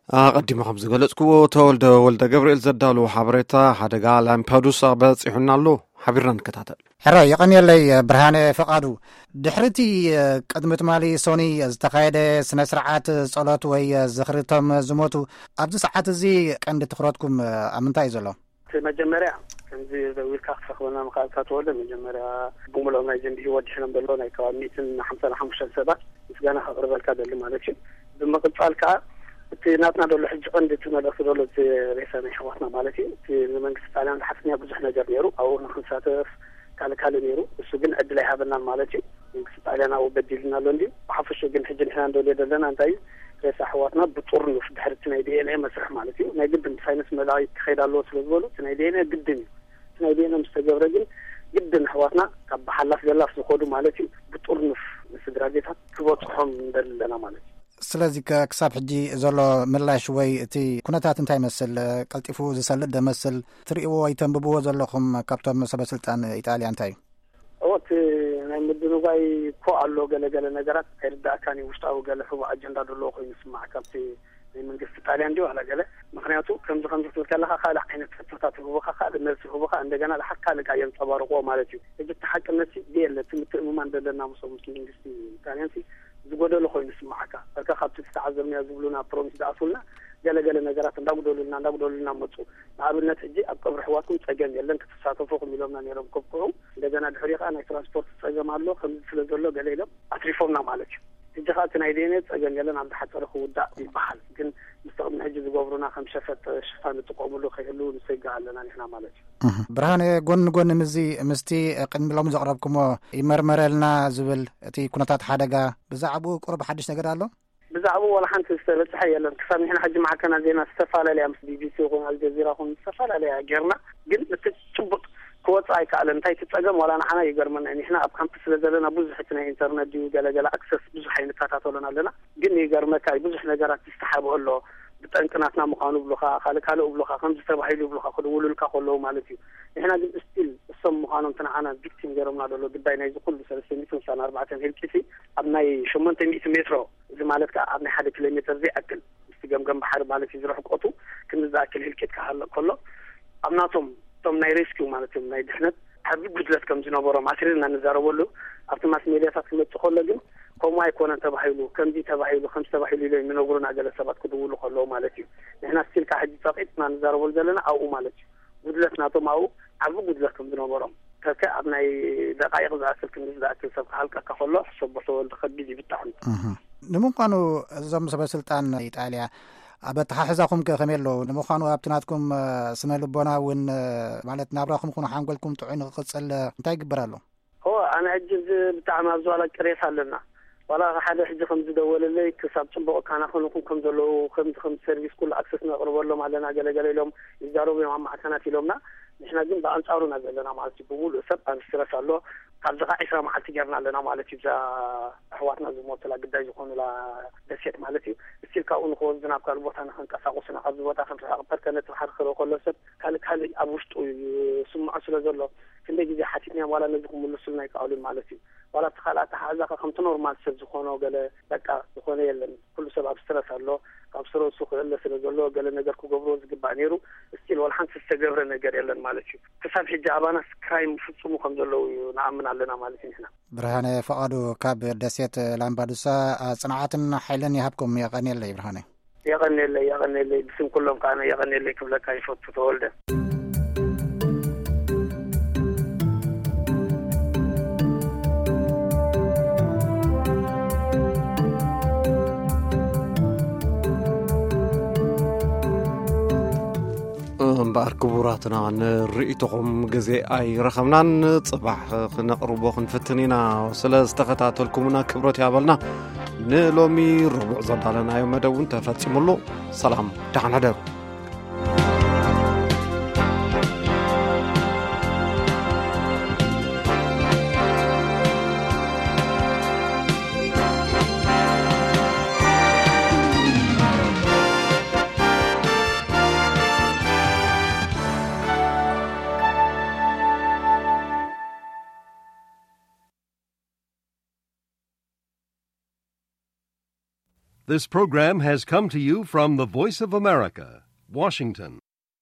ኣቐዲሙ ከም ዝገለጽክዎ፣ ተወልደ ወልደ ገብርኤል ዘዳለዎ ሓበሬታ፣ ሓደጋ ላምፓዱሳ በጺሑና ኣሎ። ሓቢርና ንከታተል። ሕራይ፣ የቐንየለይ ብርሃነ ፈቓዱ። ድሕሪ እቲ ቅድሚ ትማሊ ሶኒ ዝተኻየደ ስነ ስርዓት ጸሎት ወይ ዝኽሪ እቶም ዝሞቱ፣ ኣብዚ ሰዓት እዚ ቀንዲ ትኹረትኩም ኣብ ምንታይ እዩ ዘሎ? እቲ መጀመርያ፣ ከምዚ ደዊልካ ክትረኽበና ምኽኣልካ ተወልደ፣ መጀመርያ ብምልኦም ናይ ዘንቢ ህይወት ድሒኖም ዘለዉ ናይ ከባቢ ሚእትን ሓምሳን ሓሙሽተን ሰባት ምስጋና ከቕርበልካ ደሊ ማለት እዩ። ብምቕጻል ከኣ፣ እቲ ናትና ደሎ ሕጂ ቀንዲ እቲ መልእኽቲ ደሎ፣ እቲ ሬሳ ናይ ኣሕዋትና ማለት እዩ። እቲ ንመንግስቲ ጣልያን ዝሓትትንያ ብዙሕ ነገር ነይሩ፣ ኣብኡ ንክንሳተፍ ካልእ ካልእ ነይሩ። እሱ ግን ዕድል ኣይሃበናን ማለት እዩ። መንግስቲ ጣልያን ኣብኡ በዲልና ኣሎ እንድዩ። ብሓፈሽኡ ግን ሕጂ ንሕና እንደልዮ ዘለና እንታይ እዩ? ሬሳ ኣሕዋትና ብጥርኑፍ ድሕሪ እቲ ናይ ዲ ኤን ኤ መስርሕ ማለት እዩ። ናይ ግድን ብሳይንስ መላቒ ክኸይድ ኣለዎ ስለ ዝበሉ፣ እቲ ናይ ዲ ኤን ኤ ግድን እዩ። እቲ ናይ ዲ ኤን ኤ ምስ ተገብረ ግን ግድን ኣሕዋትና ካብ ብሓላፍ ገላፍ ዝኾዱ ማለት እዩ፣ ብጥርኑፍ ንስድራ ቤታት ክበጽሖም ንደሊ ኣለና ማለት እዩ። ስለዚ ከ ክሳብ ሕጂ ዘሎ ምላሽ ወይ እቲ ኩነታት እንታይ ይመስል? ቀልጢፉ ዝሰልጥ ዶ ይመስል? ትርእይዎ ወይ ተንብብዎ ዘለኹም ካብቶም ሰበ ስልጣን ኢጣልያ እንታይ እዩ? እዎ፣ እቲ ናይ ምድንጓይ እኮ ኣሎ፣ ገለ ገለ ነገራት ኣይርዳእካን እዩ። ውሽጣዊ ገለ ሕቡእ ኣጀንዳ ዘለዎ ኮይኑ ይስማዕ ካብቲ ናይ መንግስቲ ጣልያን ድዩ ዋላ ገለ። ምኽንያቱ ከምዚ ከምዚ ክትብል ከለኻ ካልእ ዓይነት ሕቶታት ይህቡኻ፣ ካልእ መልሲ ይህቡኻ፣ እንደገና ድሓር ካልእ ከኣ የንጸባርቕዎ ማለት እዩ። ሕጂ እቲ ሓቅነት ሲ የለ፣ እቲ ምትእምማን ዘለና ምስኦም ምስ መንግስቲ ጣልያን ሲ ዝጎደሎ ኮይኑ ይስምዓካ። በቃ ካብቲ ዝተዓዘብናዮ ዝብሉና ፕሮሚስ ዝኣትዉልና ገለ ገለ ነገራት እንዳጉደሉልና እንዳጉደሉልና መጹ። ንኣብነት ሕጂ ኣብ ቀብሪ ኣሕዋትኩም ጸገም የለን ክትሳተፉ ኢኹም ኢሎምና ነይሮም ከብቅዑ። እንደገና ድሕሪኡ ከኣ ናይ ትራንስፖርት ጸገም ኣሎ ከምዚ ስለ ዘሎ ገለ ኢሎም ኣትሪፎምና ማለት እዩ። ሕጂ ከኣ እቲ ናይ ዲ ኤን ኤ ጸገም የለን ኣብ ዝሓጸረ ክውዳእ ይበሃል። ግን ምስቲ ቅድሚ ሕጂ ዝገብሩና ከም ሸፈጥ ሽፋን ንጥቀሙሉ ከይህሉ ንሰግእ ኣለና ንሕና ማለት እዩ። እህ። ብርሃነ፣ ጎኒ ጎኒ ምስዚ ምስቲ ቅድሚ ሎሚ ዘቕረብኩሞ ይመርመረልና ዝብል እቲ ኩነታት ሓደጋ ብዛዕባኡ ቁሩብ ሓድሽ ነገር ኣሎ? ብዛዕባኡ ዋላ ሓንቲ ዝተበጽሐ የለን። ክሳብ ንሕና ሕጂ ማዕከናት ዜና ዝተፈላለያ ምስ ቢ ቢ ሲ ይኹን ኣልጀዚራ ይኹን ዝተፈላለያ ጌርና፣ ግን እቲ ጭቡጥ ክወጽእ ኣይከኣለን። እንታይ እቲ ጸገም ዋላ ንዓና ይገርመና እዩ። ንሕና ኣብ ካምፕ ስለ ዘለና ብዙሕ እቲ ናይ ኢንተርነት ድዩ ገለ ገለ ኣክሰስ ብዙሕ ኣይንከታተሎን ኣለና። ግን ይገርመካ እዩ፣ ብዙሕ ነገራት ይስተሓብኦ ኣሎ። ብጠንቂ ናትና ምዃኑ ይብሉኻ፣ ካልእ ካልእ ይብሉኻ፣ ከምዚ ተባሂሉ ይብሉኻ፣ ክድውሉልካ ከለዉ ማለት እዩ። ንሕና ግን ስቲል እሶም ምዃኖም እቲ ንዓና ቪክቲም ገይሮምና ዘሎ ግዳይ ናይዚ ኩሉ ሰለስተ ሚእትን ስሳን ኣርባዕተን ህልቂት ኣብ ናይ ሸሞንተ ሚእቲ ሜትሮ፣ እዚ ማለት ከኣ ኣብ ናይ ሓደ ኪሎ ሜትር ዘይኣክል ምስቲ ገምገም ባሕሪ ማለት እዩ ዝርሕቀቱ፣ ክንዲ ዝኣክል ህልቂት ክሃልቕ ከሎ፣ ኣብ ናቶም እቶም ናይ ሬስኪው ማለት እዮም ናይ ድሕነት ዓቢ ጉድለት ከም ዝነበሮም ኣትሪርና ንዛረበሉ ኣብቲ ማስ ሜድያታት ክመጽእ ከሎ ግን ከምኡ ኣይኮነን ተባሂሉ፣ ከምዚ ተባሂሉ፣ ከምዚ ተባሂሉ ኢሎም ይነግሩና ገለ ሰባት ክድውሉ ከለዉ ማለት እዩ። ንሕና ስቲል ከኣ ሕጂ ጸቒጥና ንዛረበሉ ዘለና ኣብኡ ማለት እዩ። ጉድለት ናቶም ኣብኡ ዓቢ ጉድለት ከም ዝነበሮም። ከከ ኣብ ናይ ደቃይቕ ዝኣክል ክንዲ ዝኣክል ሰብ ክሃልቀካ ከሎ ሕሰቦ ተወልደ ከቢድ እዩ ብጣዕሚ። እህ። ንምዃኑ እዞም ሰበ ስልጣን ኢጣልያ ኣብ ኣተሓሕዛኹም ከ ከመይ ኣለዉ? ንምዃኑ ኣብቲ ናትኩም፣ እ፣ ስነ ልቦና እውን፣ እ፣ ማለት ናብራኹም ይኹን ሓንጎልኩም ጥዑይ ንክቕጽል፣ እ፣ እንታይ ይግበር ኣሎ? እወ፣ ኣነ ሕጂ እዚ ብጣዕሚ ኣብ ዝባላ ቅሬታ ኣለና። ዋላ ሓደ ሕጂ ከም ዝደወለለይ ክሳብ ጽቡቕ ካናኸንኹም ከም ዘለዉ፣ ከምዚ ከም ሰርቪስ ኩሉ ኣክሰስ ነቕርበሎም ኣለና፣ ገለ ገለ ኢሎም ይዛረቡ እዮም ኣብ ማዕከናት ኢሎምና። ንሕና ግን ብኣንጻሩና ዘለና ማለት እዩ። ብምሉእ ሰብ ኣብ ስትረስ ኣሎ። ካብዚ ኸዓ ዕስራ መዓልቲ ጌርና ኣለና ማለት እዩ። እዛ ኣሕዋትና ዝሞቱላ ግዳይ ዝኾኑላ ደሴት ማለት እዩ። እስቲል ካብኡ ንኽወስዱ ናብ ካልእ ቦታ ንኽንቀሳቐሱና ካብዚ ቦታ ክንርሕቕ ፐርከ ነቲ ባሕሪ ክርኢ ከሎ ሰብ ካልእ ካልእ ኣብ ውሽጡ ይስምዖ ስለ ዘሎ ክንደይ ግዜ ሓቲትናዮም ዋላ ነዚ ክምልሱልና ኣይከኣሉን ማለት እዩ። ዋላ እቲ ካልእ ኣተሓሕዛ ከ ከምቲ ኖርማል ሰብ ዝኾኖ ገለ በቃ ዝኾነ የለን። ኩሉ ሰብ ኣብ ስትረስ ኣሎ። ካብ ስትረሱ ክእለ ስለ ዘሎ ገለ ነገር ክገብርዎ ዝግባእ ነይሩ። እስቲል ዋላ ሓንቲ ዝተገብረ ነገር የለን ማለት እዩ። ክሳብ ሕጂ ኣባናስ ክራይም ይፍጽሙ ከም ዘለዉ እዩ ንኣምን ኣለና ማለት እዩ ንሕና። ብርሃነ ፈቓዱ ካብ ደሴት ላምባዱሳ፣ ጽንዓትን ሓይልን ይሃብኩም። የቐንየለይ ብርሃነ። የቐንየለይ፣ የቐንየለይ። ብስም ኩሎም ከኣ የቐንየለይ ክብለካ ይፈቱ ተወልደ። እምበኣር ክቡራትና፣ ንርእይቶኹም ግዜ ኣይረኸብናን። ጽባሕ ክነቕርቦ ክንፍትን ኢና። ስለ ዝተኸታተልኩምና ክብረት ያበልና። ንሎሚ ረቡዕ ዘዳለናዮ መደብ እውን ተፈጺሙ ኣሎ። ሰላም፣ ደሓን ሕደሩ። This program has come to you from the Voice of America, Washington.